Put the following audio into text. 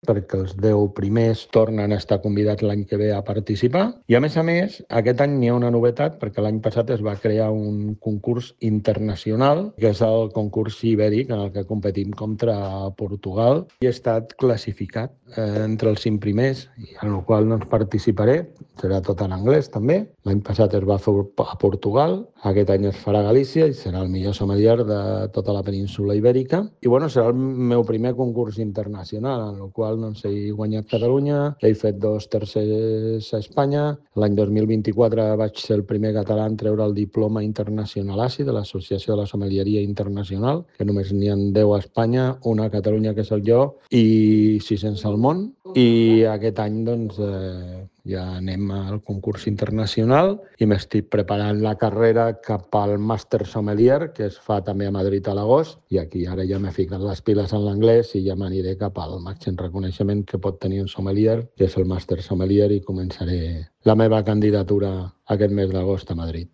perquè els 10 primers tornen a estar convidats l'any que ve a participar. I a més, aquest any n'hi ha una novetat, perquè l'any passat es va crear un concurs internacional, que és el concurs ibèric en el que competim contra Portugal, i he estat classificat entre els 5 primers, en el qual no participaré, serà tot en anglès també. L'any passat es va fer a Portugal, aquest any es farà a Galícia i serà el millor sommelier de tota la península ibèrica. I bueno, serà el meu primer concurs internacional, en el qual he guanyat Catalunya, he fet 2 tercers a Espanya. L'any 2024 vaig ser el primer català en treure el diploma internacional ASI de l'Associació de la Sommelieria Internacional, que només n'hi ha 10 a Espanya, una a Catalunya, que és jo, i 600 al món. I aquest any ja anem al concurs internacional i m'estic preparant la carrera cap al Màster Sommelier, que es fa també a Madrid a l'agost, i aquí ara ja m'he ficat les piles en l'anglès i ja m'aniré cap al màxim reconeixement que pot tenir un sommelier, que és el Màster Sommelier, i començaré la meva candidatura aquest mes d'agost a Madrid.